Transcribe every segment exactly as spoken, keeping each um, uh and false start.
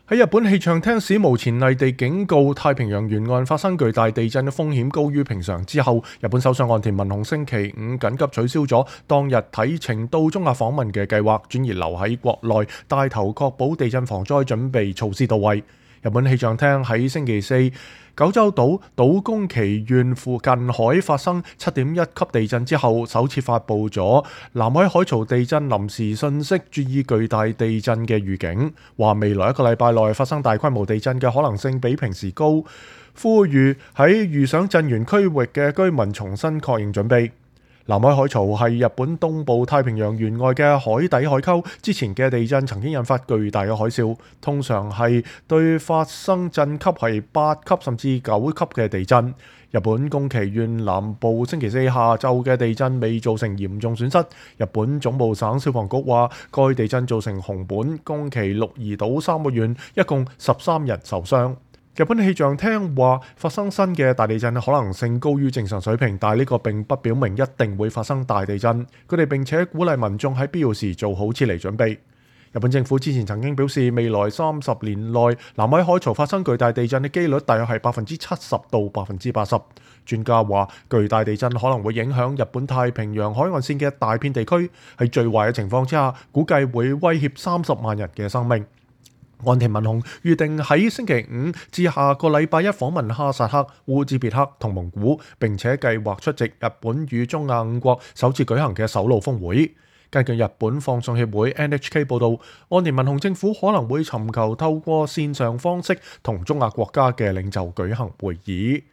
喺日本氣象廳史無前例地警告太平洋沿岸發生巨大地震嘅風險高於平常之後，日本首相岸田文雄星期五緊急取消咗當日啟程到中亞訪問嘅計劃，轉而留喺國內帶頭確保地震防災準備措施到位。日本氣象廳喺星期四九州島島宮崎縣附近海發生七點一級地震之後，首次發布咗南海海槽地震臨時信息，注意巨大地震嘅預警，話未來一個禮拜內發生大規模地震嘅可能性比平時高，呼籲喺遇上震源區域嘅居民重新確認準備。南海海槽係日本東部太平洋沿岸嘅海底海溝，之前嘅地震曾經引發巨大嘅海嘯，通常係對發生震級係八級甚至九級嘅地震。日本宮崎縣南部星期四下晝嘅地震未造成嚴重損失。日本總務省消防局話，該地震造成熊本、宮崎、鹿兒島三個縣一共十三人受傷。日本氣象廳話，發生新嘅大地震可能性高於正常水平，但係呢個並不表明一定會發生大地震。佢哋並且鼓勵民眾喺必要時做好撤離準備。日本政府之前曾經表示，未來三十年內南海海槽發生巨大地震嘅機率大約係百分之七十到百分之八十。專家話，巨大地震可能會影響日本太平洋海岸線嘅大片地區，喺最壞嘅情況之下，估計會威脅三十萬人嘅生命。岸田文雄預定喺星期五至下個禮拜一訪問哈薩克、烏茲別克同蒙古，並且計劃出席日本與中亞五國首次舉行嘅首腦峰會。根據日本放送協會 N H K 報導，岸田文雄政府可能會尋求透過線上方式同中亞國家嘅領袖舉行會議。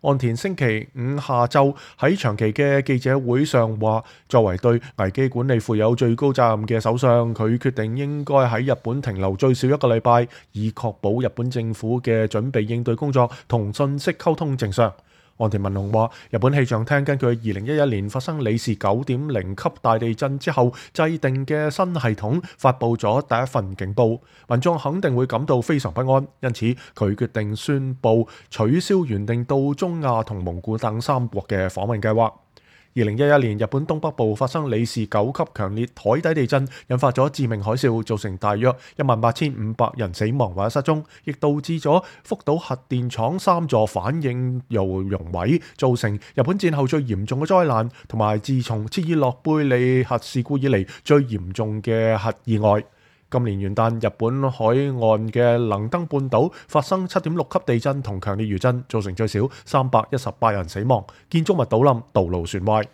岸田星期五下晝喺長期嘅記者會上話，作為對危機管理負有最高責任嘅首相，佢決定應該喺日本停留最少一個禮拜，以確保日本政府嘅準備應對工作同信息溝通正常。岸田文雄話，日本氣象廳根據二零一一年發生里氏九點零級大地震之後制定嘅新系統，發布咗第一份警報，民眾肯定會感到非常不安，因此佢決定宣布取消原定到中亞同蒙古等三國嘅訪問計劃。二零一一年，日本東北部發生里氏九級強烈海底地震，引發咗致命海嘯，造成大約一萬八千五百人死亡或者失蹤，亦導致咗福島核電廠三座反應窯熔毀，造成日本戰後最嚴重嘅災難，同埋自從切爾諾貝利核事故以嚟最嚴重嘅核意外。今年元旦，日本海岸嘅能登半島發生七點六級地震同強烈餘震，造成最少三百一十八人死亡，建築物倒冧，道路損壞。